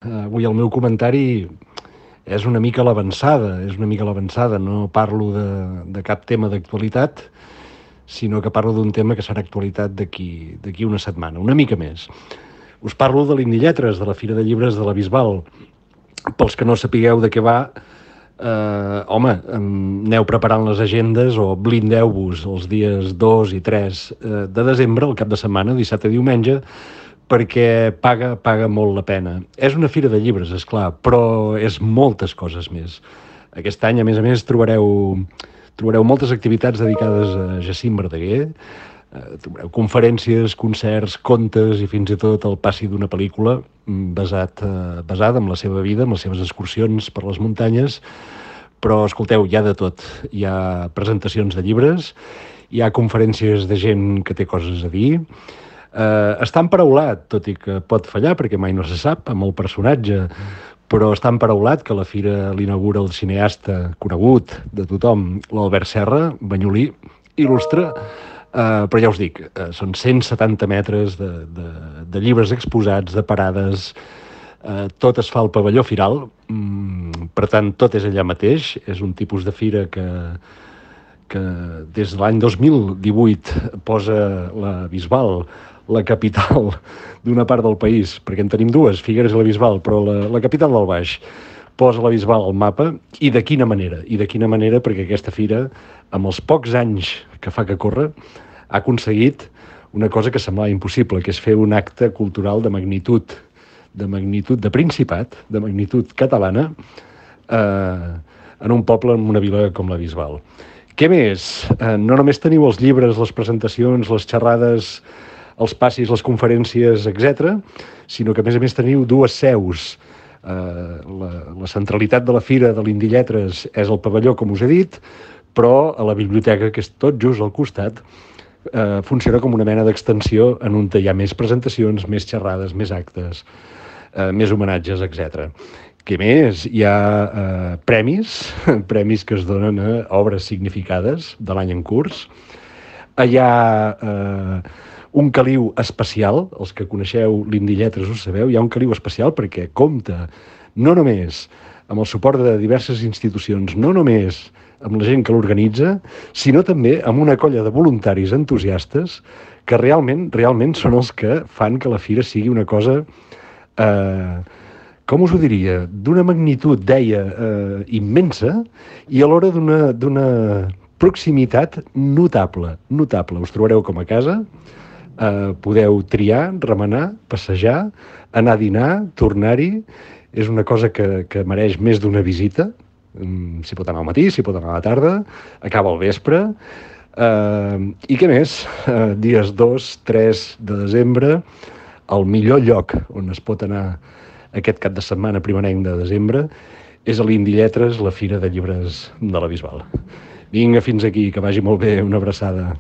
Avui el meu comentari és una mica a l'avançada, no parlo de cap tema d'actualitat, sinó que parlo d'un tema que serà actualitat d'aquí una setmana, una mica més. Us parlo de l'Indilletres, de la Fira de Llibres de la Bisbal. Pels que no sapigueu de què va, aneu preparant les agendes o blindeu-vos els dies 2 i 3 de desembre, el cap de setmana, dissabte i diumenge, perquè paga molt la pena. És una fira de llibres, és clar, però és moltes coses més. Aquest any, a més, trobareu moltes activitats dedicades a Jacint Verdaguer, trobareu conferències, concerts, contes i fins i tot el passi d'una pel·lícula basada en la seva vida, en les seves excursions per les muntanyes, però, escolteu, hi ha de tot. Hi ha presentacions de llibres, hi ha conferències de gent que té coses a dir, està emparaulat, tot i que pot fallar perquè mai no se sap amb el personatge, però està emparaulat que la fira l'inaugura el cineasta conegut de tothom, l'Albert Serra, banyolí, il·lustre, però ja us dic, són 170 metres de llibres exposats, de parades, tot es fa al pavelló firal, per tant tot és allà mateix, és un tipus de fira que des de l'any 2018 posa la Bisbal, la capital d'una part del país, perquè en tenim dues, Figueres i la Bisbal, però la capital del Baix posa la Bisbal al mapa, i de quina manera, perquè aquesta fira, amb els pocs anys que fa que corre, ha aconseguit una cosa que semblava impossible, que és fer un acte cultural de magnitud de Principat, de magnitud catalana, en un poble, en una vila com la Bisbal. Què més? No només teniu els llibres, les presentacions, les xerrades, els passis, les conferències, etc., sinó que, a més, teniu dues seus. La centralitat de la fira de l'Indilletres és el pavelló, com us he dit, però a la biblioteca, que és tot just al costat, funciona com una mena d'extensió en on hi ha més presentacions, més xerrades, més actes, més homenatges, etc. Què més? Hi ha premis que es donen a obres significades de l'any en curs. Hi ha un caliu especial, els que coneixeu l'Indilletres ho sabeu, hi ha un caliu especial perquè compta no només amb el suport de diverses institucions, no només amb la gent que l'organitza, sinó també amb una colla de voluntaris entusiastes que realment són els que fan que la fira sigui una cosa, com us ho diria, d'una magnitud, deia, immensa, i alhora d'una proximitat notable. Us trobareu com a casa, podeu triar, remenar, passejar, anar a dinar, tornar-hi. És una cosa que mereix més d'una visita. S'hi pot anar al matí, s'hi pot anar a la tarda, acaba al vespre. I què més? Dies 2, 3 de desembre, el millor lloc on es pot anar aquest cap de setmana primerenc de desembre és a l'Indilletres, la Fira de Llibres de la Bisbal. Vinga, fins aquí, que vagi molt bé, una abraçada.